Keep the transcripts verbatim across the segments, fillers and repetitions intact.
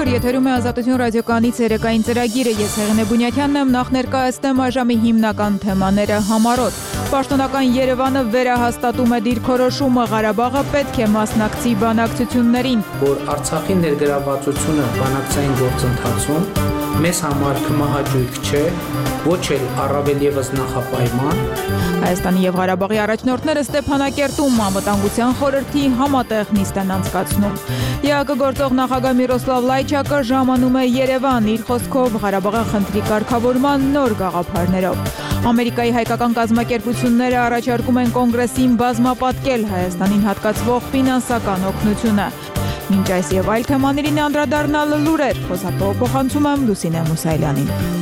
Բարի օր, եթերում է Ազատություն ռադիոկայանի ցերեկային ծրագիրը, ես Հեղինե Բունյաթյանն եմ, նախ ներկայացնեմ այժմի հիմնական թեմաները համառոտ։ Պաշտոնական Երևանը վերահաստատում է դիրքորոշումը, Ղարաբաղը պետք է մասնակցի բանակցություններին։ Որ Արցախի ներգրավվածությունը բանակցային գործընթացում մեզ համար կմահաճույք չէ, ոչ էլ առավել ևս նախապայման։ Հայաստանի եւ Ղարաբաղի առաջնորդները Ստեփանակերտում անվտանգության խորհրդի համատեղ նիստ են անցկացնում։ ԵԱԿ գործող նախագահ Միրոսլավ Լայչակը ժամանում է Երևան, իր խոսքով Ղարաբաղի խնդրի կարգավորման նոր գաղափարներով։ Ամերիկայի հայկական կազմակերպությունները առաջարկում են կոնգրեսին բազմապատկել Հայաստանին հատկացվող ֆինանսական օգնությունը։ Մինչ այս եւ այլ թեմաներին անդրադառնալ լուրեր, խոսափող փոխանցում եմ Լուսինե Մուսայելյանին։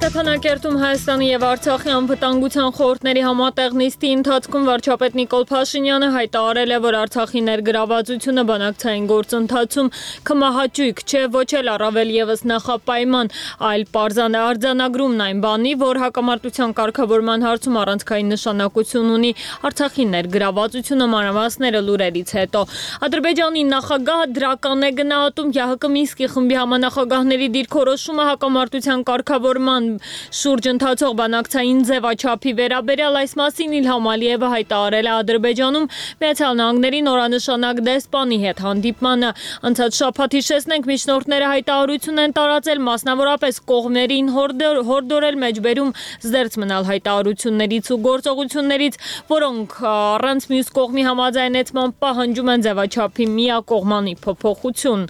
Ստեփանակերտում Հայաստանի եւ Արցախի անվտանգության խորհուրդների համատեղ նիստի ընթացքում վարչապետ Նիկոլ Փաշինյանը հայտարարել է, որ Արցախի ներգրավվածությունը բանակցային գործընթացում կմահաճույք չէ, ոչ էլ առավել ևս նախապայման, այլ պարզան է արձանագրումն այն բանի, որ հակամարտության կարգավորման հարցում առանցքային նշանակություն ունի Արցախի ներգրավվածությունը, մանրամասները լուրերից հետո։ Ադրբեջանի նախագահը դրական է գնահատում ԵԱՀԿ Մինսկի խմբի համանախագահների դիրքորոշումը հակամարտության կարգավորման շուրջ ընթացող բանակցային ձևաչափի վերաբերյալ, այս մասին Իլհամ Ալիևը հայտարարել է Ադրբեջանում Միացյալ Նահանգների նորանշանակ դեսպանի հետ հանդիպմանը։ Անցած շաբաթ հիշեցնենք, միջնորդները հայտարարություն են տարածել, մասնավորապես կողմերին հորդոր, հորդորել մեջբերում զերծ մնալ հայտարարություններից ու գործողություններից, որոնք առանց մյուս կողմի համաձայնեցման պահանջում են ձևաչափի միակողմանի փոփոխություն։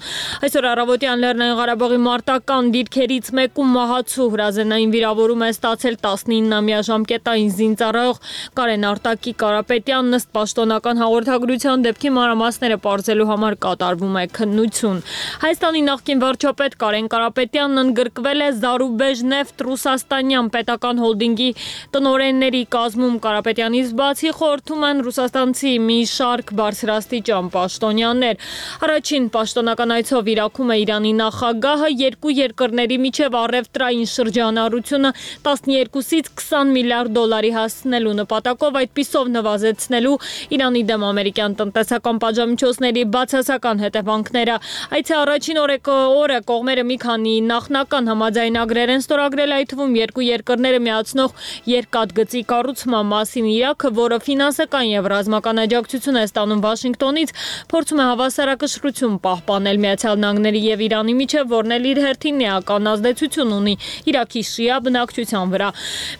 Այսօր առավոտյան Լեռնային Ղարաբաղի մարտական դիրքերից մեկում մահացու հրազենային վիրավորում է ստացել տասնիննամյա ժամկետային զինծառայող Կարեն Արտակի Կարապետյանն, ըստ պաշտոնական հաղորդագրության դեպքի մանրամասները պարզելու համար կատարվում է քննություն։ Հայաստանի նախկին վարչապետ Կարեն Կարապետյանն ընդգրկվել է Զարուբեժնեֆտ ռուսաստանյան պետական հոլդինգի տնօրենների կազմում։ Կարապետյանից բացի խորհրդում են ռուսաստանցի մի շարք բարձրաստիճան պաշտոնյաներ։ Առաջին պաշտոնական այցով Իրաքում է Իրանի նախագահը, երկու երկրների միջև առևտրային շրջանառությունը տասներկուսից քսան միլիարդ դոլարի հասցնելու նպատակով, այդպիսով նվազեցնելու Իրանի դեմ ամերիկյան տնտեսական պատժամիջոցների բացասական հետևանքները։ Այցի առաջին օրը կողմերը մի քանի նախնական համաձայնագրեր են ստորագրել, այդ թվում երկու երկրները միացնող երկաթգծի կառուցման մասին։ Իրաքը, որը ֆինանսական եւ ռազմական աջակցություն է ստանում Վաշինգտոնից, փորձում է հավասարակշռություն պահպանել Միացյալ Նահանգների եւ Իրանի միջև, որն էլ իր հերթին էական ազդեցություն ունի Իրաքի շիա բնակչության վրա։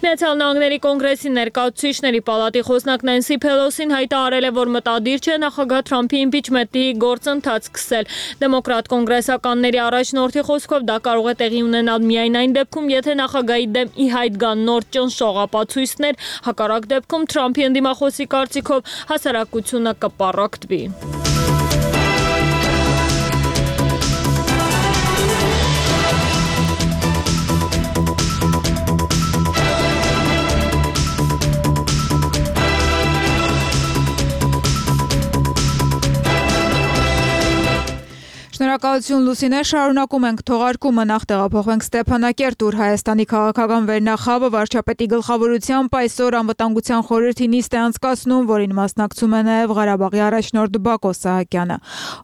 Միացյալ Նահանգների կոնգրեսի ներկայացուցիչների պալատի խոսնակ Նենսի Փելոսին հայտարարել է, որ մտադիր չէ նախագահ Թրամփի իմպիչմենտի գործընթաց սկսել։ Դեմոկրատ կոնգրեսականների առաջնորդի խոսքով դա կարող է տեղի ունենալ միայն այն դեպքում, եթե նախագահի դեմ ի հայտ գան նոր ճնշող ապացույցներ, հակառակ դեպքում Թրամփի ընդդիմախոսի կարծիքով հասարակությունը կպառակտվի։ Շնորհակալություն Լուսինե, շարունակում ենք թողարկումը, նախ տեղափոխվենք Ստեփանակերտ, ուր Հայաստանի քաղաքական վերնախավը վարչապետի գլխավորությամբ այսօր անվտանգության խորհրդի նիստ է անցկացնում, որին մասնակցում է նաև Ղարաբաղի առաջնորդ Բակո Սահակյանը։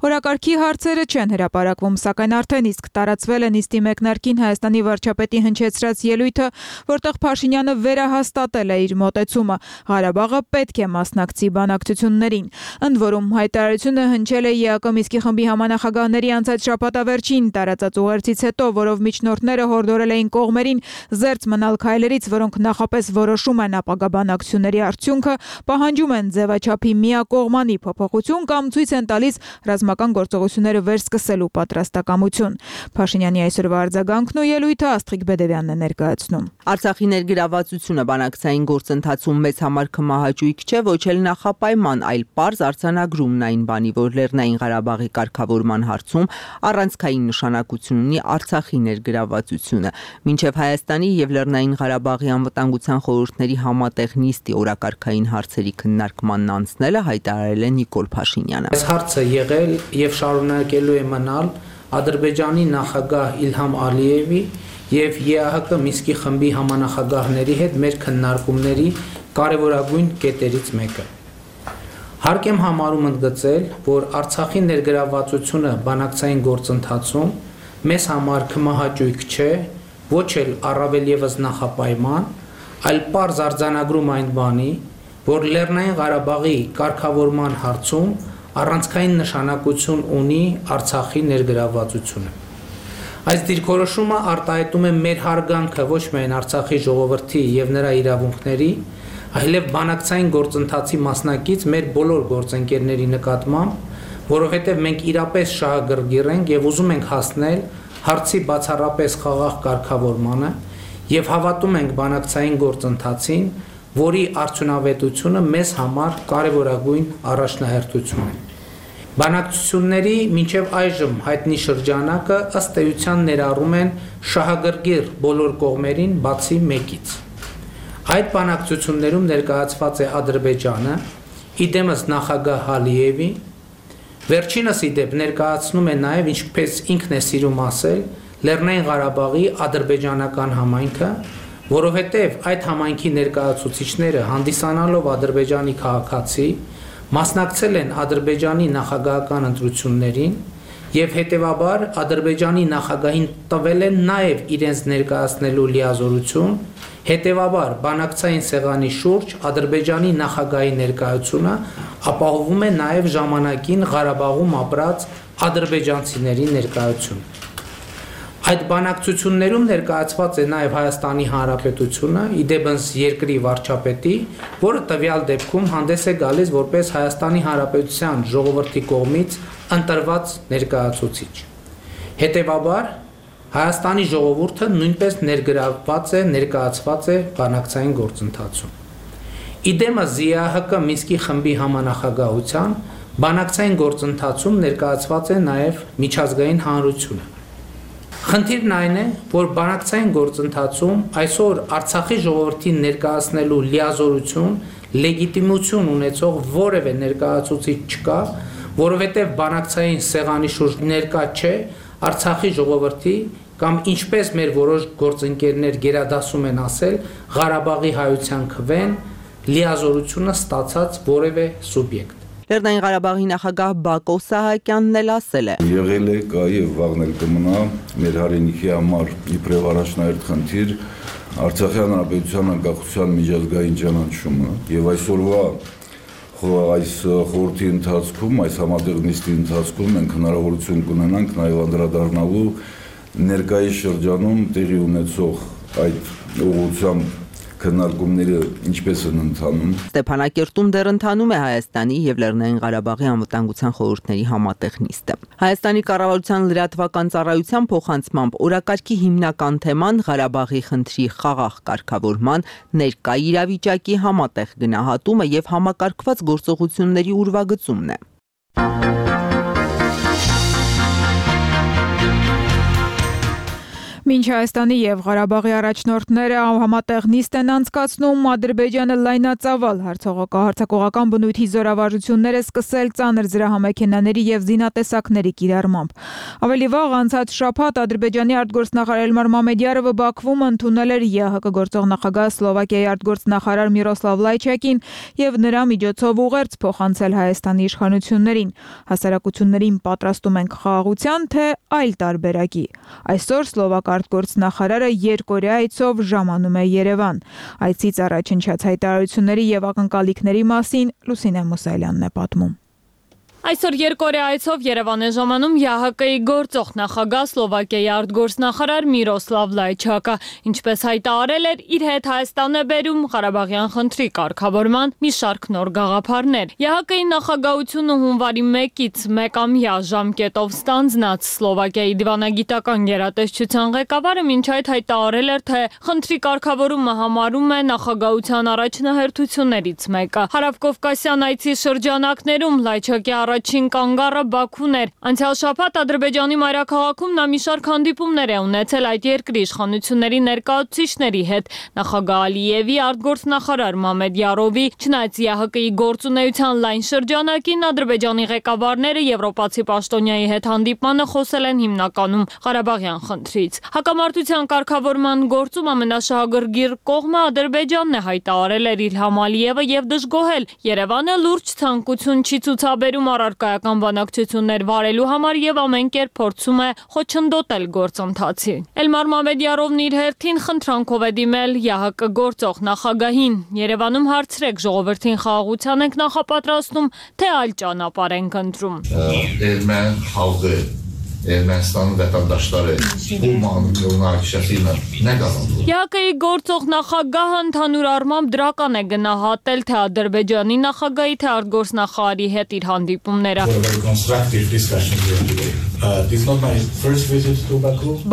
Օրակարգի հարցերը չեն հրապարակվում, սակայն արդեն իսկ տարածվել է նիստի մեկնարկին Հայաստանի վարչապետի հնչեցրած ելույթը, որտեղ Փաշինյանը վերահաստատել է իր մոտեցումը. Ղարաբաղը պետք է մասնակցի բանակցություններին։ Ընդ որում հայտարարությունը հնչել է ԵԱԿ Մինսկի խմբի համանախագահների անցած շաբաթավերջին տարածած ուղերձից հետո, որով միջնորդները հորդորել էին կողմերին զերծ մնալ քայլերից, որոնք նախապես որոշում են ապագա բանակցությունների արդյունքը, պահանջում են ձևաչափի միակողմանի փոփոխություն կամ ցույց են տալիս ռազմական գործողությունները վերսկսելու պատրաստակամություն։ Փաշինյանի այսօրվա արձագանքն ու ելույթը Աստղիկ Բեդևյանն է ներկայացնում։ Արցախի ներգրավվածությունը բանակցային գործընթացում մեծ համար կմահաճույք չէ, ոչ էլ նախապայման, այլ պարզ արձանագրումն այն բանի, որ Լեռնային Ղարաբաղի կարգավորման հարցում առանցքային նշանակություն ունի Արցախի ներգրավվածությունը։ Մինչև Հայաստանի եւ Լեռնային Ղարաբաղի անվտանգության խորհուրդների համատեղ նիստի օրակարգային հարցերի քննարկմանն անցնելը հայտարարել է Նիկոլ Փաշինյանը։ Այս հարցը եղել եւ շարունակելու է մնալ Ադրբեջանի նախագահ Իլհամ Ալիևի եւ ԵԱՀԿ Մինսկի խմբի համանախագահների հետ մեր քննարկումների կարևորագույն կետերից մեկը։ Հարկ եմ համարում ընդգծել, որ Արցախի ներգրավվածությունը բանակցային գործընթացում մեզ համար քմահաճույք չէ, ոչ էլ առավել ևս նախապայման, այլ պարզ արձանագրում այն բանի, որ Լեռնային Ղարաբաղի կարգավորման հարցում առանցքային նշանակություն ունի Արցախի ներգրավվածությունը։ Այս դիրքորոշումը արտահայտում է մեր հարգանքը ոչ միայն Արցախի ժողովրդի եւ նրա իրավունքների, այլև բանակցային գործընթացի մասնակից մեր բոլոր գործընկերների նկատմամբ, որովհետև մենք իրապես շահագրգիռ ենք եւ ուզում ենք հասնել հարցի բացառապես խաղաղ կարգավորմանը եւ հավատում ենք բանակցային գործընթացին, որի արդյունավետությունը մեզ համար կարևորագույն առաջնահերթություն է։ Բանակցությունների մինչև այժմ հայտնի շրջանակը ըստ էության ներառում են շահագրգիռ բոլոր կողմերին բացի մեկից։ Այդ բանակցություններում ներկայացված է Ադրբեջանը, իդեմս նախագահ Ալիևի, վերջինս իդեպ ներկայացնում է նաև, ինչպես ինքն է սիրում ասել, Լեռնային Ղարաբաղի ադրբեջանական համայնքը, որովհետև այդ համայնքի ներկայացուցիչները հանդիսանալով Ադրբեջանի քաղաքացի, մասնակցել են Ադրբեջանի նախագահական ընտրություններին եւ հետեւաբար Ադրբեջանի նախագահին տվել են նաեւ իրենց ներկայացնելու լիազորություն, հետեւաբար բանակցային սեղանի շուրջ Ադրբեջանի նախագահի ներկայությունը ապահովում է նաեւ ժամանակին Ղարաբաղում ապրած ադրբեջանցիների ներկայությունը։ Այդ բանակցություններում ներկայացված է նաև Հայաստանի Հանրապետությունը, իդեպս երկրի վարչապետի, որը տվյալ դեպքում հանդես է գալիս որպես Հայաստանի Հանրապետության ժողովրդի կողմից ընտրված ներկայացուցիչ։ Հետևաբար Հայաստանի ժողովուրդը նույնպես ներգրավված է, ներկայացված է բանակցային գործընթացում։ Իդեմս ԶԻԱՀԿ Մինսկի խմբի համանախագահության բանակցային գործընթացում ներկայացված է նաև միջազգային հանրությունը։ Խնդիրն այն է, որ բանակցային գործընթացում այսօր Արցախի ժողովրդին ներկայացնելու լիազորություն, լեգիտիմություն ունեցող որևէ ներկայացուցիչ չկա, որովհետև բանակցային սեղանի շուրջ ներկա չէ Արցախի ժողովրդի կամ ինչպես մեր որոշ գործընկերներ գերադասում են ասել, Ղարաբաղի հայության քվեն լիազորությունը ստացած որևէ սուբյեկտ։ Լեռնային Ղարաբաղի նախագահ Բակո Սահակյանն էլ ասել է. Եղել է, կա եւ վաղն էլ կմնա մեր հայրենիքի համար իբրև առաջնահերթ խնդիր Արցախի հանրապետության անկախության միջազգային ճանաչումը եւ այսօրվա այս խորհրդի ընթացքում, այս համատեղ նիստի ընթացքում մենք հնարավորություն կունենանք նաեւ անդրադառնալու ներկայիս շրջանում տեղի ունեցող այդ ուղղությամբ քննարկումները ինչպես են ընթանում։ Ստեփանակերտում դեռ ընթանում է Հայաստանի եւ Լեռնային Ղարաբաղի անվտանգության խորհուրդների համատեղ նիստը։ Հայաստանի կառավարության լրատվական ծառայության փոխանցմամբ օրակարգի հիմնական թեման Ղարաբաղի խնդրի խաղաղ կարգավորման ներկա իրավիճակի համատեղ գնահատումը եւ համակարգված գործողությունների ուրվագծումն է։ Մինչ Հայաստանի եւ Ղարաբաղի առաջնորդները համատեղ նիստ են անցկացնում, Ադրբեջանը լայնածավալ հարձակողական բնույթի զորավարժություններ է սկսել ծանր զրահամեքենաների եւ զինատեսակների կիրառմամբ։ Ավելի վաղ անցած շաբաթ Ադրբեջանի արտգործնախարար Էլմար Մամեդյարովը Բաքվում ընդունել էր ԵԱՀԿ գործող նախագահ Սլովակիայի արտգործնախարար Միրոսլավ Լայչակին եւ նրա միջոցով ուղերձ փոխանցել Հայաստանի իշխանություններին։ Հասարակություններին պատրաստում ենք խաղաղության, թե այլ տարբերակի։ Այսօր Սլովակ արտգործնախարարը երկօրյա այցով ժամանում է Երևան։ Այցից առաջ հնչած հայտարարությունների եւ ակնկալիքների մասին Լուսինե Մուսայելյանն է պատմում։ Այսօր երկօրյա այցով Երևան է ժամանում ԵԱՀԿ-ի գործող նախագահ Սլովակիայի արտգործնախարար Միրոսլավ Լայչակը, ինչպես հայտարարել էր, իր հետ Հայաստան է բերում Ղարաբաղյան խնդրի կարգավորման մի շարք նոր գաղափարներ։ ԵԱՀԿ-ի նախագահությունը հունվարի մեկից մեկամյա ժամկետով ստանձնած Սլովակիայի դիվանագիտական գերատեսչության ղեկավարը մինչ այդ հայտարարել էր, թե խնդրի կարգավորումը համարում է նախագահության առաջնահերթություններից մեկը։ Հարավկովկասյան այցի շրջանակներում Լայչակի առաջին կանգառը Բաքուն էր։ Անցյալ շաբաթ Ադրբեջանի մայրաքաղաքում նա մի շարք հանդիպումներ է ունեցել այդ երկրի իշխանությունների ներկայացուցիչների հետ։ Նախագահ Ալիևի, արտգործնախարար Մամեդ Յարովի, չնայած ԵԱՀԿ-ի գործունեության լայն շրջանակին Ադրբեջանի ղեկավարները եվրոպացի պաշտոնյայի հետ հանդիպմանը խոսել են հիմնականում Ղարաբաղյան խնդրից։ Հակամարտության կարգավորման գործում ամենաշահագրգիռ կողմը Ադրբեջանն է, հայտարարել էր Իլհամ Ալիևը եւ դժգոհել։ Երևանը լուրջ ցանկություն չի ցուցաբերում առարկայական բանակցություններ վարելու համար եւ ամեն կերպ փորձում է խոչընդոտել գործընթացին։ Էլմար Մամեդյարովն իր հերթին խնդրանքով է դիմել ԵԱՀԿ գործող նախագահին։ Երևանում հարցրեք, ժողովրդին խաղաղության ենք նախապատրաստում, թե այլ ճանապարհ ենք ընտրում։ Erməni xalqı, Ermənistanın vətəndaşları bu münaqişəsilə nə qazandı? ԵԱՀԿ-ի գործող նախագահը ընդհանուր առմամբ դրական է գնահատել թե Ադրբեջանի նախագահի, թե արտգործնախարարի հետ իր հանդիպումները։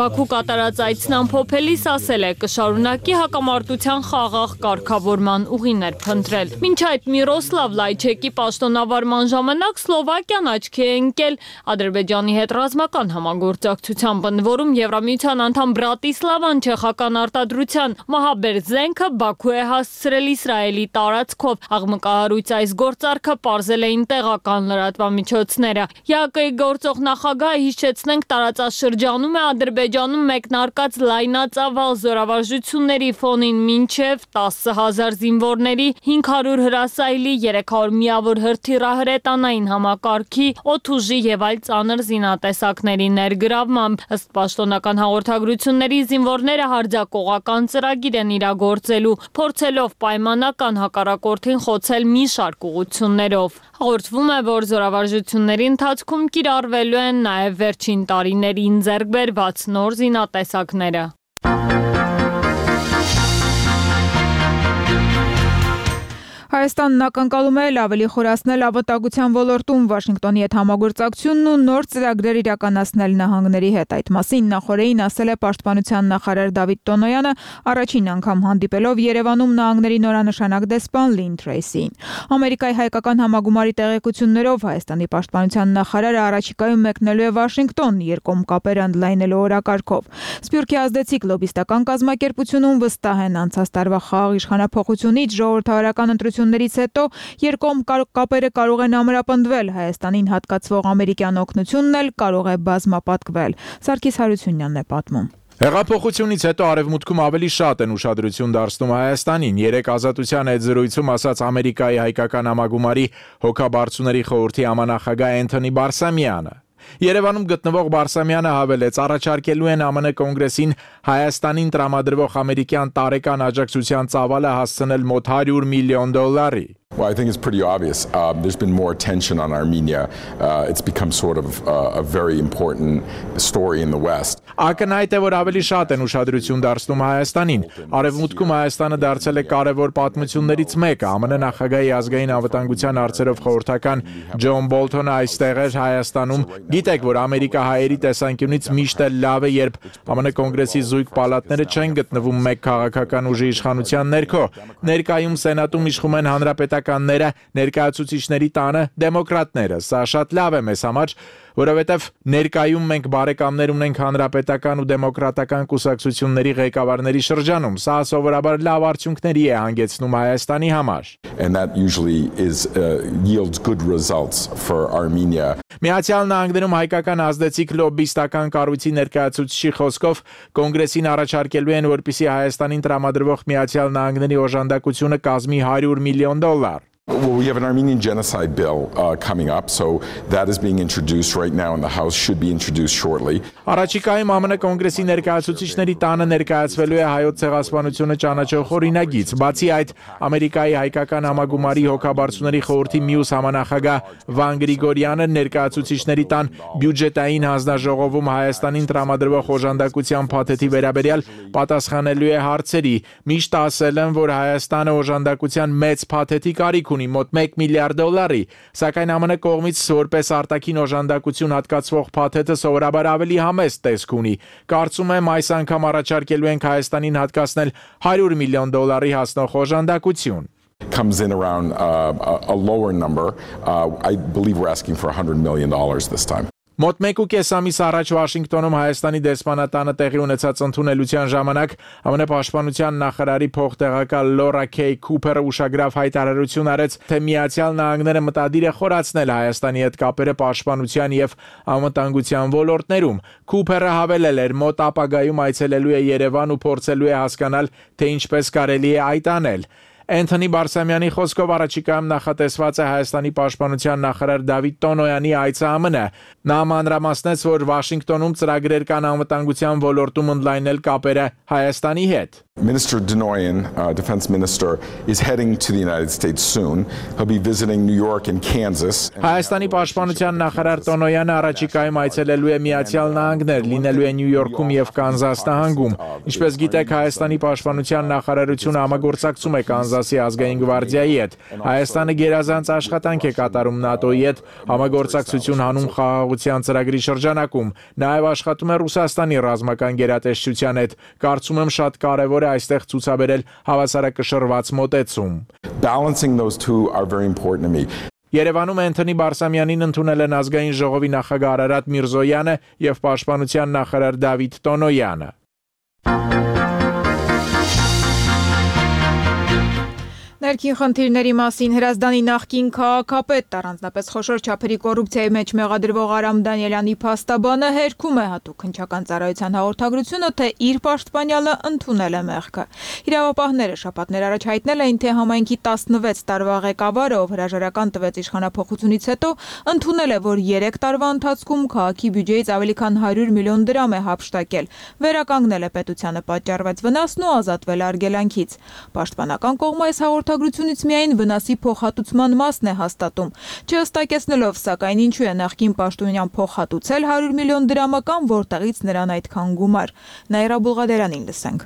Բաքու կատարած այցն ամփոփելիս ասել է, կշարունակի հակամարտության խաղաղ կարգավորման ուղիներ փնտրել։ Մինչ այդ Միրոսլավ Լայչեկի պաշտոնավարման ժամանակ Սլովակիան աչքի է ընկել Ադրբեջանի հետ ռազմական համագործակցության բնորում Եվրամիության անդամ Բրատիսլավան չեխական արտադրության մահաբեր զենքը Բաքու է հասցրել Իսրայելի տարածքով։ Աղմկահարույց այս գործարքը պարզել էին տեղական լրատվամիջոցները։ ԵԱՀԿ-ի գործող նախագահը, հիշեցնենք, տարածաշրջանում է Ադրբեջանում մեկնարկած լայնածավալ զորավարժությունների ֆոնին մինչև տասը հազար զինվորների, հինգ հարյուր հրասայլի, երեք հարյուր միավոր հրթիռահրետանային համակարգի, օդուժի եւ այլ ծանր զինատեսակների ներգրավմամբ։ Ըստ պաշտոնական հաղորդագրությունների զինվորները հարձակողական ծրագիր են իրագործելու, փորձելով պայմանական հակառակորդին խոցել մի շարք ուղղություններով։ Հաղորդվում է, որ զորավարժությունների ընթացքում կիրառվելու են նաև վերջին տարիներին ձեռք բերված նոր զինատեսակները։ Հայաստանն ակնկալում է ավելի խորացնել անվտանգության ոլորտում Վաշինգտոնի հետ համագործակցությունն ու նոր ծրագրեր իրականացնել նահանգների հետ։ Այդ մասին նախորդին ասել է Պաշտպանության նախարար Դավիթ Տոնոյանը, առաջին անգամ հանդիպելով Երևանում նահանգների նորանշանակ դեսպան Լին Թրեյսիին։ Ամերիկայի հայկական համագումարի տեղեկություններով Հայաստանի պաշտպանության նախարարը առաջիկայում մեկնելու է Վաշինգտոն երկկողմ կապեր ընդլայնելու օրակարգով։ Սփյուռքի ազդեցիկ լոբիստական կազմակերպությունում վստահ են անցած տարվա խաղաղ իշխանափոխությունից ժողովրդավարական ընտրություններից հետո երկկողմ կապերը կարող են ամրապնդվել, Հայաստանին հատկացվող ամերիկյան օգնությունն էլ կարող է բազմապատկվել։ Սարգիս Հարությունյանն է պատմում։ Հեղափոխությունից հետո արևմուտքում ավելի շատ են ուշադրություն դարձնում Հայաստանին։ Երեք Ազատության հետ զրույցում ասաց Ամերիկայի հայկական համագումարի հոգաբարձուների խորհրդի համանախագահ Էնթոնի Բարսամյանը։ Երևանում գտնվող Բարսամյանը հավելեց, առաջարկելու են ԱՄՆ կոնգրեսին Հայաստանին տրամադրվող ամերիկյան տարեկան աջակցության ծավալը հասցնել մոտ հարյուր միլիոն դոլարի։ Well, I think it's pretty obvious. Um, there's been more attention on Armenia. Uh, it's become sort of uh, a very important story in the West. Ակնհայտ է, որ ավելի շատ են ուշադրություն դարձնում Հայաստանին։ Արևմուտքում Հայաստանը դարձել է կարևոր պատմություններից մեկը։ ԱՄՆ նախագահի ազգային անվտանգության հարցերով խորհրդական Ջոն Բոլթոնը այստեղ էր Հայաստանում։ Գիտեք, որ ամերիկահայերի տեսանկյունից միշտ էլ լավ է, երբ ԱՄՆ կոնգրեսի զույգ պալատները չեն գտնվում մեկ քաղաքական ուժի իշխանության ներքո։ Ներկայում Սենատում իշխում են հանրապետականները, ներկայացուցիչների տանը դեմոկրատները։ Սա շատ լավ է մեզ համար, որովհետև ներկայում մենք բարեկամներ ունենք հանրապետական ու դեմոկրատական կուսակցությունների ղեկավարների շրջանում։ Սա սովորաբար լավ արդյունքների է հանգեցնում Հայաստանի համար։ And that usually is uh, yields good results for Armenia. Միացյալ Նահանգներում հայկական ազդեցիկ լոբիստական կառույցի ներկայացուցիչի խոսքով կոնգրեսին առաջարկելու են, որպեսզի Հայաստանին տրամադրվող Միացյալ Նահանգների օժանդակությունը կազմի հարյուր միլիոն դոլար։ Well, we have an Armenian genocide bill uh, coming up, so that is being introduced right now in the House, should be introduced shortly. Առաջիկայում ԱՄՆ կոնգրեսի ներկայացուցիչների տանը ներկայացվելու է հայոց ցեղասպանությունը ճանաչող օրինագիծ։ Բացի այդ, Ամերիկայի հայկական համագումարի հոգաբարձուների խորհրդի մյուս համանախագահ Վան Գրիգորյանը ներկայացուցիչների տան բյուջետային հանձնաժողովում Հայաստանին տրամադրվող օժանդակության փաթեթի վերաբերյալ պատասխանելու է հարցերի։ Միշտ ասել են, որ Հայաստանը օժանդակության մեծ փաթեթի կարիք ունի, մոտ մեկ միլիարդ դոլարի, սակայն ԱՄՆ կողմից որպես արտաքին օժանդակություն հատկացվող փաթեթը սովորաբար ավելի համեստ տեսք ունի։ Կարծում եմ այս անգամ առաջարկելու ենք Հայաստանին հատկացնել հարյուր միլիոն դոլարի հասնող օժանդակություն։ comes in around uh, a, a lower number. Uh, I believe we're asking for one hundred million dollars this time. Մոտ մեկ ու կես ամիս առաջ Վաշինգտոնում Հայաստանի դեսպանատանը տեղի ունեցած ընդունելության ժամանակ ԱՄՆ պաշտպանության նախարարի փոխտեղակալ Լորա Քեյ Քուփերը ուշագրավ հայտարարություն արեց, թե Միացյալ Նահանգները մտադիր է խորացնել Հայաստանի հետ կապերը պաշտպանության եւ անվտանգության ոլորտներում։ Քուփերը հավելել էր, մոտ ապագայում այցելելու է Երևան ու փորձելու է հասկանալ, թե ինչպես կարելի է այդ անել։ Անթոնի Բարսամյանի խոսքով առաջիկայում նախատեսված է Հայաստանի պաշտպանության նախարար Դավիթ Տոնոյանի այցը ԱՄՆ։ Նա մանրամասնեց, որ Վաշինգտոնում ծրագրեր կան անվտանգության ոլորտում ընդլայնել կապերը Հայաստանի հետ։ Minister Denoyan, uh, Defense Minister, is heading to the United States soon. He'll be visiting New York and Kansas. Հայաստանի պաշտպանության նախարար Տոնոյանը առաջիկայում այցելելու է Միացյալ Նահանգներ, լինելու է Նյու Յորքում եւ Կանզաս նահանգում։ Ինչպես գիտեք, Հայաստանի պաշտպանության նախարարությունը համագործակցում է Կանզասի ազգային գվարդիայի հետ։ Հայաստանը գերազանց աշխատանք է կատարում ՆԱՏՕ-ի հետ համագործակցություն հանուն խաղաղության ծրագրի շրջանակում։ Նաեւ աշխատում է Ռուսաստանի ռազմական գերատեսչության հետ։ Կարծում եմ շատ կարեւոր է այստեղ ցուցաբերել հավասարակշռված մոտեցում։ Balancing those two are very important to me. Երևանում Անթոնի Բարսամյանին ընդունել են ազգային ժողովի նախագահ Արարատ Միրզոյանը եւ պաշտպանության նախարար Դավիթ Տոնոյանը։ Ներքին խնդիրների մասին Հրազդանի նախկին քաղաքապետ առանձնապես խոշոր չափերի կոռուպցիայի մեջ մեղադրվող Արամ Դանիելյանի փաստաբանը հերքում է հատուկ հնչական ծառայության հաղորդագրությունը, թե իր պաշտպանյալը ընդունել է մեղքը։ Իրավապահները շաբաթներ առաջ հայտնել էին, թե համայնքի տասնվեց տարվա ղեկավարը, ով հրաժարական տվեց իշխանափոխությունից հետո, ընդունել է, որ երեք տարվա ընթացքում քաղաքի բյուջեից ավելի քան հարյուր միլիոն դրամ է հափշտակել, վերականգնել է պետությանը պատճառված վնասն ու ազատվել արգելանքից։ Պաշտպանական կողմը այս հաղորդագրությունից միայն վնասի փոխհատուցման մասն է հաստատում, չհստակեցնելով, սակայն ինչու է նախկին պաշտոնյան փոխհատուցել հարյուր միլիոն դրամը կամ որտեղից նրան այդքան գումար։ Նաիրա Բուլղադերանին լսենք։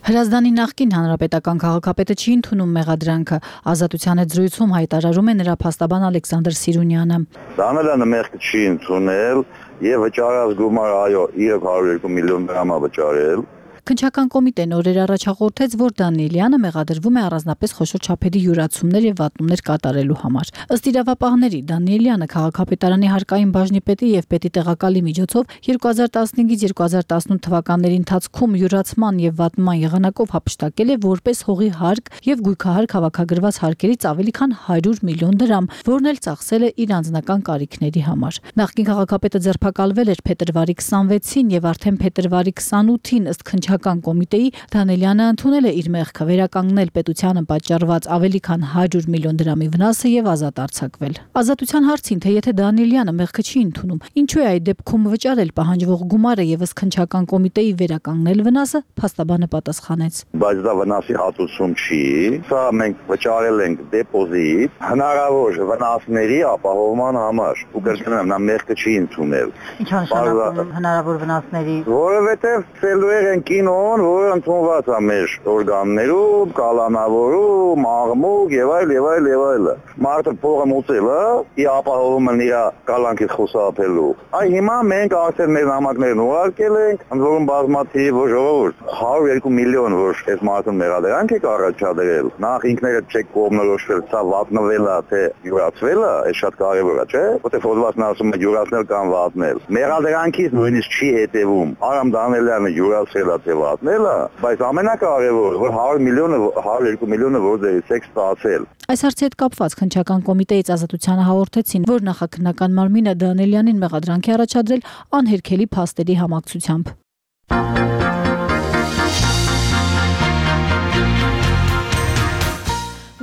Հրազդանի նախկին հանրապետական քաղաքապետը չի ընդունում մեղադրանքը։ Ազատության հետ զրույցում հայտարարում է նրա փաստաբան Ալեքսանդր Սիրունյանը։ Դանելյանը մեղքը չի ընդունել եւ վճարած գումարը այո, իրոք հարյուր երկու միլիոն դրամ է վճարել։ Քննչական կոմիտեն օրեր առաջ հաղորդեց, որ Դանիելյանը մեղադրվում է առանձնապես խոշոր չափերի յուրացումներ եւ վատնումներ կատարելու համար։ Ըստ իրավապահների, Դանիելյանը քաղաքապետարանի հարկային բաժնի պետի եւ պետի տեղակալի միջոցով երկու հազար տասնհինգից երկու հազար տասնութ թվականների ընթացքում յուրացման եւ վատնման եղանակով հափշտակել է որպես հողի հարկ եւ գույքահարկ հավաքագրված հարկերից ավելի քան հարյուր միլիոն դրամ, որն էլ ծախսել է իր անձնական կարիքների համար։ Նախկին քաղաքապետը ձերբակալվել էր փետրվարի քսանվեցին եւ արդեն փետրվարի քսանութին ըստ քննչական կոմիտեի Դանիելյանը ընդունել է իր մեղքը, վերականգնել պետությանը պատճառված ավելի քան հարյուր միլիոն դրամի վնասը եւ ազատ արձակվել։ Ազատության հարցին, թե եթե Դանիելյանը մեղքը չի ընդունում, ինչու է այդ դեպքում վճարել պահանջվող գումարը եւ ըստ քննչական կոմիտեի վերականգնել վնասը, փաստաբանը պատասխանեց։ Բայց դա վնասի հատուցում չի, սա մենք վճարել ենք դեպոզիտ հնարավոր վնասների ապահովման համար։ Ու կրկնում, նա մեղքը չի ընդունել։ Ինչ նշանակում հնարավոր վնասների։ Որովհետեւ ծելուեր են կինոն, որը ընդունված է մեր օրգաններում, կալանավորում, աղմուկ եւ այլ եւ այլ եւ այլ։ Մարդը փողը մուծել է, ի ապահովում են իր կալանքից խուսափելու։ Այ հիմա մենք արդեն մեր նամակներն ուղարկել ենք, ընդ որում բազմաթիվ ժողովուրդ հարյուր երկու միլիոն, որ այս մարդուն մեղադրանք է առաջադրել։ Նախ ինքները չեք կողմնորոշվել, սա վատնվել է, թե յուրացվել է, այս շատ կարևոր է, չէ՞։ Որտեղ հոդվածն ասում է յուրացնել կամ վատնել։ Մեղադրանքից նույնիսկ չի հետևում Արամ Դանիելյանը յուրացել է, թե վատնել է, բայց ամենակարևորը, որ հարյուր միլիոնը, հարյուր երկու միլիոնը որտեղից է ստացել։ Այս հարցի հետ կապված քննչական կոմիտեից Ազատությանը հաղորդեցին, որ նախաքննական մարմինը Դանիելյանին մեղադրանք է առաջադրել անհերքելի փաստերի համակցությամբ։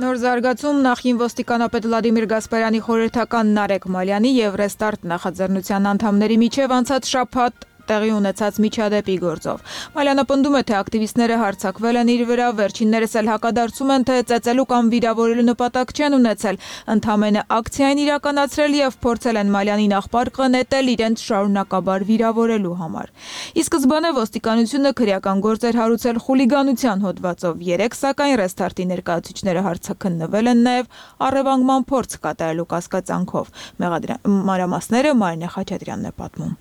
Նոր զարգացում նախին ոստիկանապետ Վլադիմիր Գասպարյանի խորհրդական Նարեկ Մալյանի եւ Ռեստարտ նախաձեռնության անդամների միջև անցած շաբաթ տեղի ունեցած միջադեպի գործով։ Մալյանը պնդում է, թե ակտիվիստները հարձակվել են իր վրա, վերջիններս էլ հակադարձում են, թե ծեծելու կամ վիրավորելու նպատակ չեն ունեցել, ընդամենը ակցիա են իրականացրել եւ փորձել են Մալյանին աղբարկը նետել իրենց շարունակաբար վիրավորելու համար։ Ի սկզբանե ոստիկանությունը քրեական գործ էր հարուցել խուլիգանության հոդվածով, երեք սակայն Ռեստարտի ներկայացուցիչները հարցաքննվել են նաեւ առևանգման փորձ կատարելու կասկածանքով։ Մանրամասները Մարինե Խաչատրյանն է պատմում։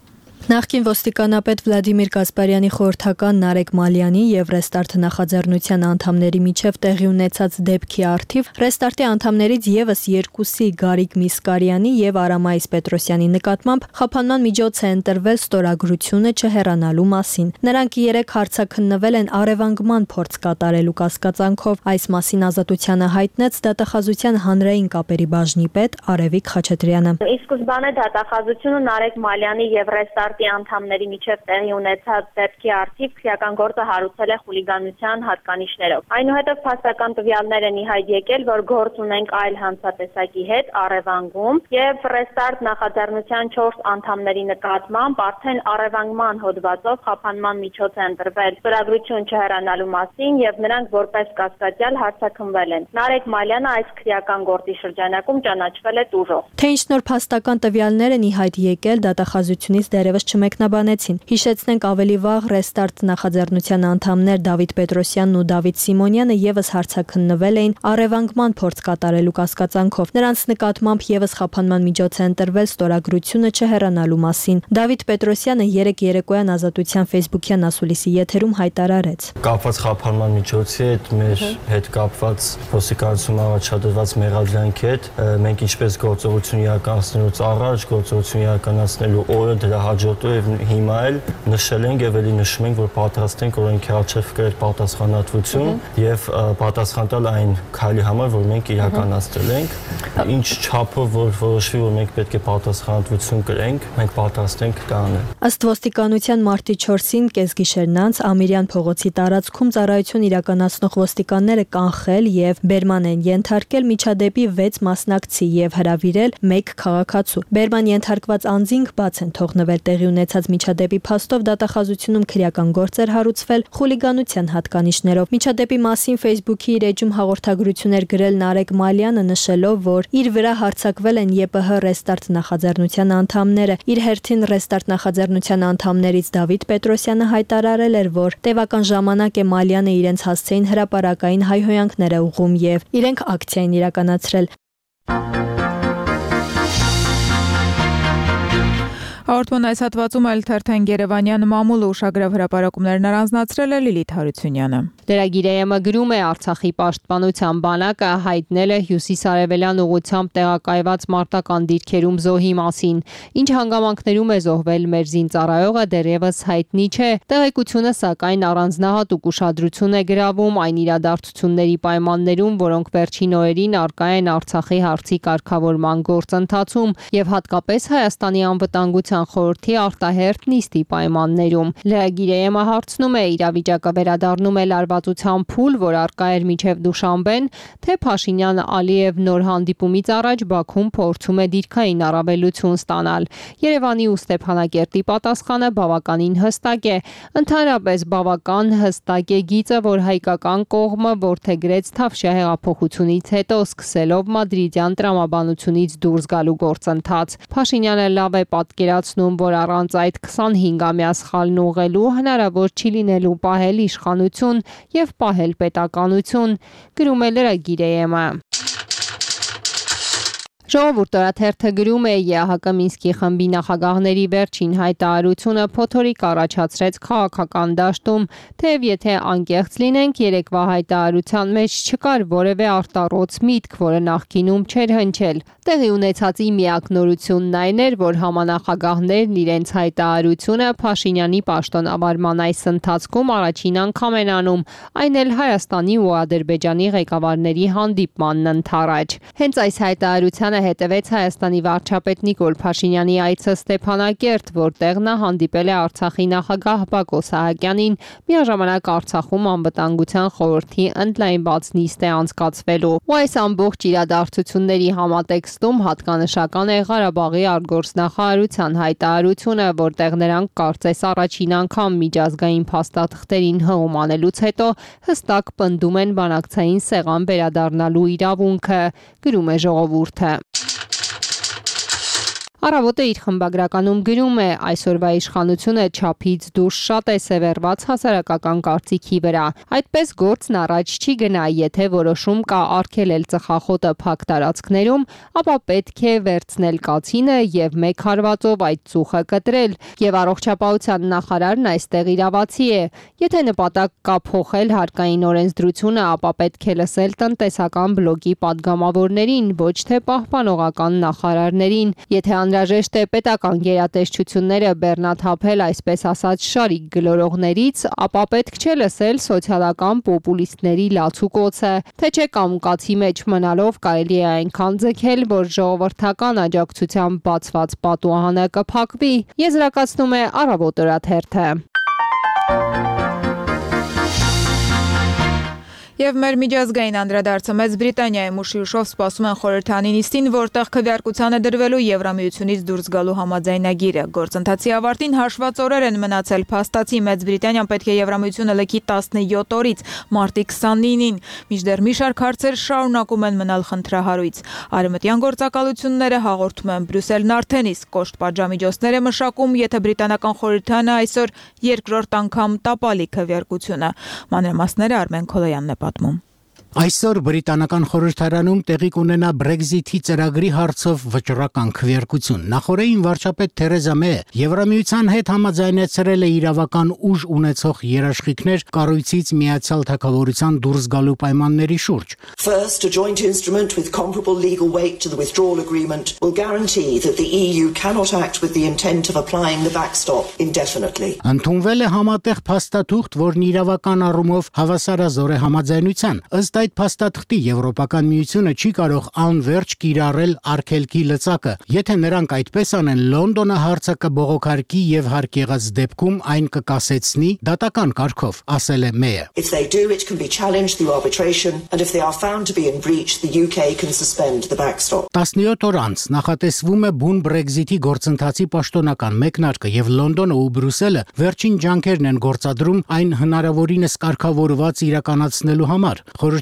Նախկին ոստիկանապետ Վլադիմիր Գասպարյանի խորհրդական Նարեկ Մալյանի եւ Ռեստարտ նախաձեռնության անդամների միջև տեղի ունեցած դեպքի առթիվ Ռեստարտի անդամներից եւս երկուսի Գարիկ Միսկարյանի եւ Արամայիս Պետրոսյանի նկատմամբ խափանման միջոց է ընտրվել ստորագրությունը չհեռանալու մասին։ Նրանք երեք հարցաքննվել են առևանգման փորձ կատարելու կասկածանքով։ Այս մասին ազատությանը հայտնեց դատախազության հանրային կապերի բաժնի պետ Արևիկ Խաչատրյանը։ Ի սկզբանե դատախազությունը Նարեկ Մալյանի եւ Ռեստարտի անդամների միջև տեղի ունեցած դեպքի առթիվ քրեական գործը հարուցել է խուլիգանության հատկանիշներով։ Այնուհետև փաստական տվյալներ են ի հայտ եկել, որ գործ ունենք այլ հանցատեսակի հետ առևանգում եւ Ռեստարտ նախաձեռնության չորս անդամների նկատմամբ արդեն առևանգման հոդվածով խափանման միջոց է ընտրվել ստորագրություն չհեռանալու մասին եւ նրանք որպես կասկածյալ հարցաքննվել են։ Նարեկ Մալյանը այս քրեական գործի շրջանակում ճանաչվել է տուժող։ Թե ինչ նոր փաստական տվյալներ են ի հայտ եկել, դատախազությունից դեռևս չմեկնաբանեցին։ Հիշեցնենք ավելի վաղ Ռեստարտ նախաձեռնության անդամներ Դավիթ Պետրոսյանն ու Դավիթ Սիմոնյանը եւս հարցաքննվել էին առևանգման փորձ կատարելու կասկածանքով։ Նրանց նկատմամբ եւս խափանման միջոց է ընտրվել ստորագրությունը չհեռանալու մասին։ Դավիթ Պետրոսյանը երեք երեկոյան Ազատության Facebook-յան ասուլիսի եթերում հայտարարեց. Կապված խափանման միջոցի հետ մեր հետ կապված ոստիկանություն առաջադրված մեղադրանքի հետ մենք ինչպես գործողություն իրականացնելուց առաջ, գործողություն իրականացնելու օրը դրա հաջորդը եւ հիմա էլ նշել ենք եւ ելի նշում ենք, որ պատրաստ ենք օրենքի առջեւ կրել պատասխանատվություն եւ պատասխան տալ այն քայլի համար, որ մենք իրականացրել ենք։ Ինչ չափով որ որոշվի, որ մենք պետք է պատասխանատվություն կրենք, մենք պատրաստ ենք դա անել։ Ըստ ոստիկանության մարտի չորսին կեսգիշերն անց Ամիրյան փողոցի տարածքում ծառայություն իրականացնող ոստիկանները կանխել եւ բերման են ենթարկել միջադեպի վեց մասնակցի եւ հրավիրել մեկ քաղաքացու։ Բերման ենթարկված անձինք բաց են թողնվել տեղի ունեցած միջադեպի փաստով դատախազությունում քրեական գործ էր հարուցվել խուլիգանության հատկանիշներով։ Միջադեպի մասին Facebook-ի իր էջում հաղորդագրություն էր գրել Նարեկ Մալյանը, նշելով, որ իր վրա հարձակվել են ԵՊՀ Ռեստարտ նախաձեռնության անդամները։ Իր հերթին Ռեստարտ նախաձեռնության անդամներից Դավիթ Պետրոսյանը հայտարարել էր, որ տևական ժամանակ է Մալյանը իրենց հասցեին հրապարակային հայհոյանքներ է ուղղում եւ իրենք ակցիա են իրականացրել։ Հաղորդման այս հատվածում էլ թերթեն Երևանյան մամուլը ուշագրավ հրապարակումներն առանձնացրել է Լիլիթ Հարությունյանը։ Լրագիրը գրում է Արցախի պաշտպանության բանակը հայտնել է հյուսիսարևելյան ուղությամբ տեղակայված մարտական դիրքերում զոհի մասին։ Ինչ հանգամանքներում է զոհվել մեր զինծառայողը դեռևս հայտնի չէ։ Տեղեկությունը սակայն առանձնահատուկ ուշադրություն է գրավում այն իրադարձությունների պայմաններում, որոնք վերջին օրերին առկա են Արցախի հարցի կարգավորման գործընթացում եւ հատկապես Հայաստանի անվտանգության խորհրդի արտահերթ նիստի պայմաններում։ Լրագիրը հարցնում է իրավիճակը վերադառնում է լարվածության փուլ, որ առկա էր մինչև Դուշանբեն, թե Փաշինյան-Ալիև նոր հանդիպումից առաջ Բաքուն փորձում է դիրքային առավելություն ստանալ։ Երևանի ու Ստեփանակերտի պատասխանը բավականին հստակ է։ Ընդհանրապես բավական հստակ է գիծը, որ հայկական կողմը որդեգրեց Թավշյա հեղափոխությունից հետո սկսելով մադրիդյան տրամաբանությունից դուրս գալու գործընթաց։ Փաշինյանը լավ է պատկերացնում, որ առանց այդ քսանհինգամյա սխալն ուղղելու հնարավոր չի լինելու պահել իշխանություն եւ պահել պետականություն, գրում է լրագիրը։ Ժողովուրդ օրաթերթը գրում է ԵԱՀԿ Մինսկի խմբի նախագահների վերջին հայտարարությունը փոթորիկ առաջացրեց քաղաքական դաշտում, թեև եթե անկեղծ լինենք, երեկվա հայտարարության մեջ չկար որևէ արտառոց միտք, որը նախկինում չէր հնչել։ Տեղի ունեցածի միակ նորությունն այն էր, որ համանախագահներն իրենց հայտարարությունը Փաշինյանի պաշտոնավարման այս ընթացքում առաջին անգամ են անում, այն էլ Հայաստանի ու Ադրբեջանի ղեկավարների հանդիպմանն ընդառաջ։ Հենց այս հայտարարությանը հետևեց Հայաստանի վարչապետ Նիկոլ Փաշինյանի այցը Ստեփանակերտ, որտեղ նա հանդիպել է Արցախի նախագահ Բակո Սահակյանին, միաժամանակ Արցախում անվտանգության խորհրդի ընդլայնված նիստ է անցկացվելու։ Ու այս ամբողջ իրադարձությունների համատեքստում հատկանշական է Ղարաբաղի արտգործնախարարության հայտարարությունը, որտեղ նրանք կարծես առաջին անգամ միջազգային փաստաթղթերին հղում անելուց հետո հստակ պնդում են բանակցային սեղան վերադառնալու իրավունքը, գրում է Ժողովուրդը։ Առավոտը իր խմբագրականում գրում է. այսօրվա իշխանությունը չափից դուրս շատ է սևեռված հասարակական կարծիքի վրա։ Այդպես գործն առաջ չի գնա, եթե որոշում կա արգելել ծխախոտը փակ տարածքներում, ապա պետք է վերցնել կացինը եւ մեկ հարվածով այդ ծուխը կտրել, եւ առողջապահության նախարարն այստեղ իրավացի է։ Եթե նպատակ կա փոխել հարկային օրենսդրությունը, ապա պետք է լսել տնտեսական բլոկի падգամավորներին, ոչ թե պահպանողական նախարարներին։ Եթե անհրաժեշտ է պետական գերատեսչությունները բեռնաթափել այսպես ասած շարիկ գլորողներից, ապա պետք չէ լսել սոցիալական պոպուլիստների լացուկոցը, թե չէ կամուկացի մեջ մնալով կարելի է այնքան ձգել, որ ժողովրդական աջակցությամբ բացված պատուհանը կփակվի, եզրակացնում է Առավոտ օրաթերթը։ Եվ մեր միջազգային անդրադարձը Մեծ Բրիտանիայում ուշի ուշով սպասում են խորհրդանի նիստին, որտեղ քվեարկության է դրվելու Եվրամիությունից դուրս գալու համաձայնագիրը։ Գործընթացի ավարտին հաշված օրեր են մնացել, փաստացի Մեծ Բրիտանիան պետք է Եվրամիությունը լքի տասնյոթ օրից մարտի քսանինին, մինչդեռ մի շարք հարցեր շարունակում են մնալ խնդրահարույց։ Արևմտյան գործակալությունները հաղորդում են Բրյուսելն արդեն իսկ կոշտ պատժամիջոցներ է մշակում, եթե բրիտանական խորհրդանը այսօր երկրորդ անգամ տապալի քվեարկությունը։ Մանրամասները Արմեն Քոլոյանն է պատմում։ Այսօր բրիտանական խորհրդարանում տեղի կունենա Brexit-ի ծրագրի հարցով վճռական քվեարկություն։ Նախորդին վարչապետ Թերեզա Մեյը Եվրամիության հետ համաձայնեցրել է իրավական ուժ ունեցող երաշխիքներ կառույցից Միացյալ Թագավորության դուրս գալու պայմանների շուրջ։ First, a joint instrument with comparable legal weight to the withdrawal agreement will guarantee that the E U cannot act with the intent of applying the backstop indefinitely. Ընդունվել է համատեղ փաստաթուղթ, որն իրավական առումով հավասարազոր է համաձայնության։ Ըստ այդ փաստաթղթի Եվրոպական միությունը չի կարող անverջ կիրառել արգելքի լծակը։ Եթե նրանք այդպես անեն, Լոնդոնը հարցը կբողոքարկի եւ հարկ եղած դեպքում այն կկասեցնի դատական կարգով, ասել է Մեյը։ If they do, it can be challenged through arbitration, and if they are found to be in breach, the U K can suspend the backstop. տասնյոթ օր անց նախատեսվում է բուն Brexit-ի գործընթացի պաշտոնական մեկնարկը եւ Լոնդոնը ու Բրյուսելը վերջին ջանքերն են գործադրում այն հնարավորինս կարգավորված իրականացնելու համար։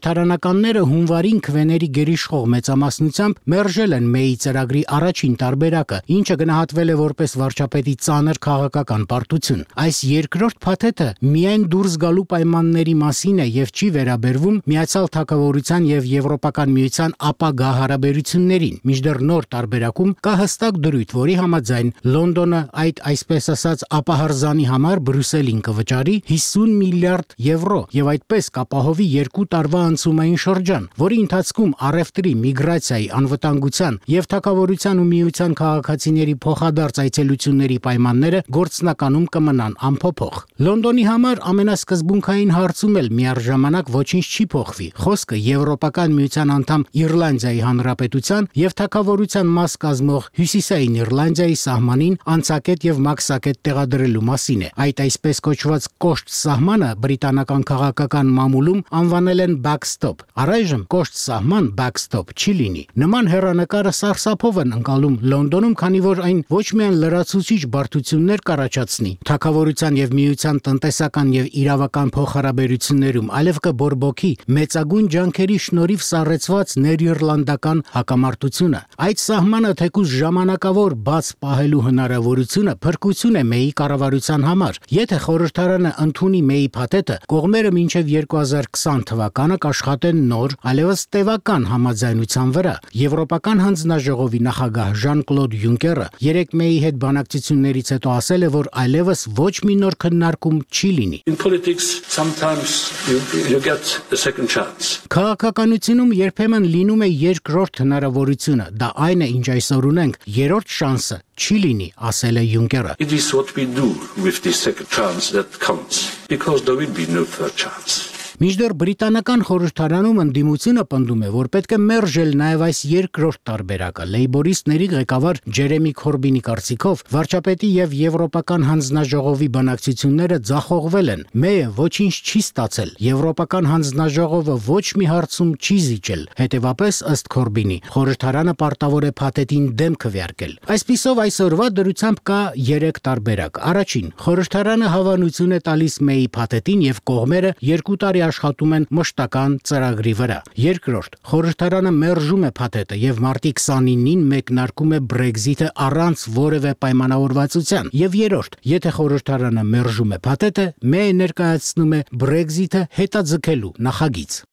Խորհրդարանականները հունվարին քվեների գերիշխող մեծամասնությամբ մերժել են Մեյի ծրագրի առաջին տարբերակը, ինչը գնահատվել է որպես վարչապետի ծանր քաղաքական պարտություն։ Այս երկրորդ փաթեթը միայն դուրս գալու պայմանների մասին է եւ չի վերաբերվում Միացյալ Թագավորության եւ Եվրոպական միության ապագա հարաբերություններին։ Մինչդեռ նոր տարբերակում կա հստակ դրույթ, որի համաձայն Լոնդոնը այդ այսպես ասած ապահարզանի համար Բրյուսելին կվճարի հիսուն միլիարդ եվրո եւ այդպես կապահովի երկու տարվա անցումային շրջան, որի ընթացքում առևտրի, միգրացիայի, անվտանգության եւ թագավորության ու միության քաղաքացիների փոխադարձ այցելությունների պայմանները գործնականում կմնան անփոփոխ։ Լոնդոնի համար ամենասկզբունքային հարցում էլ միառժամանակ ոչինչ չի փոխվի։ Խոսքը Եվրոպական միության անդամ Իռլանդիայի Հանրապետության եւ թագավորության մաս կազմող Հյուսիսային Իռլանդիայի սահմանին անցակետ եւ մաքսակետ տեղադրելու մասին է։ Այդ այսպես կոչված կոշտ սահմանը բրիտանական քաղաքական մամուլում անվանել են backstop։ Առայժմ կոշտ սահման backstop չի լինի։ Նման հեռանկարը սարսափով են ընկալում Լոնդոնում, քանի որ այն ոչ միայն լրացուցիչ բարդություններ կառաջացնի թագավորության եւ միության տնտեսական եւ իրավական փոխհարաբերություններում, այլև կբորբոքի մեծագույն ջանքերի շնորհիվ սառեցված ներիռլանդական հակամարտությունը։ Այդ սահմանը թեկուզ ժամանակավոր բաց պահելու հնարավորությունը փրկություն է Մեյի կառավարության համար։ Եթե խորհրդարանը ընդունի Մեյի փաթեթը, կողմերը մինչև երկու հազար քսան թվականը կաշխատեն նոր, այլևս տևական համաձայնության վրա։ Եվրոպական հանձնաժողովի նախագահ Ժան-Կլոդ Յունկերը երեք Մեյի հետ բանակցություններից հետո ասել է, որ այլևս ոչ մի նոր քննարկում չի լինի։ In politics sometimes you, you get a second chance. Քաղաքականությունում երբեմն լինում է երկրորդ հնարավորությունը, դա այն է, ինչ այսօր ունենք, երրորդ շանսը չի լինի, ասել է Յունկերը։ It is what we do with this second chance that counts, because there will be no third chance. Մինչդեռ բրիտանական խորհրդարանում ընդդիմությունը պնդում է, որ պետք է մերժել նաև այս երկրորդ տարբերակը։ Լեյբորիստների ղեկավար Ջերեմի Քորբինի կարծիքով վարչապետի եւ Եվրոպական հանձնաժողովի բանակցությունները ձախողվել են։ Մեյը ոչինչ չի ստացել։ Եվրոպական հանձնաժողովը ոչ մի հարցում չի զիջել։ Հետևաբար, ըստ Քորբինի, խորհրդարանը պարտավոր է փաթեթին դեմ քվեարկել։ Այսպիսով այսօրվա դրությամբ կա երեք տարբերակ։ Առաջին, խորհրդարանը հավանություն է տալիս Մեյի փաթեթին եւ կողմերը երկու տարի աշխատում են մշտական ծրագրի վրա։ Երկրորդ, խորհրդարանը մերժում է փաթեթը եւ մարտի քսանինին մեկնարկում է Brexit-ը առանց որևէ պայմանավորվածության։ Եվ երրորդ, եթե խորհրդարանը մերժում է փաթեթը, Մեյը ներկայացնում է Brexit-ը հետաձգելու նախագիծ։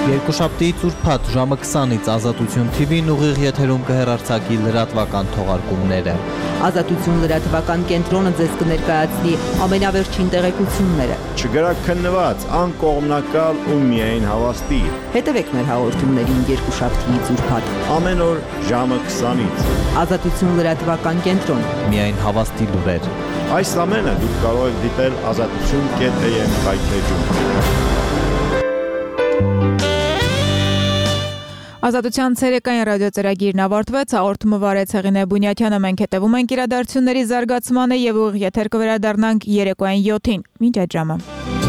Երկուշաբթի ծուրփաթ ժամը քսանից Ազատություն Թի Վին ուղիղ եթերում կհեռարձակի լրատվական թողարկումները։ Ազատություն լրատվական կենտրոնը ձեզ կներկայացնի ամենավերջին տեղեկությունները։ Չգրաքննված, անկողմնակալ ու միայն հավաստի։ Հետևեք մեր հաղորդումներին երկուշաբթի ծուրփաթ ամեն օր ժամը քսանից։ Ազատություն լրատվական կենտրոն։ Միայն հավաստի լուրեր։ Այս ամենը դուք կարող եք դիտել ազատություն կետ էյ էմ հայթեջում։ Ազատության ցերեկային ռադիոծրագիրն ավարտվեց, հաղորդումը վարեց Հեղինե Բունյաթյանը, մենք հետևում ենք իրադարձությունների զարգացմանը եւ ուղիղ եթեր կվերադառնանք երեկոյան յոթին։ Մինչ այդ ժամը։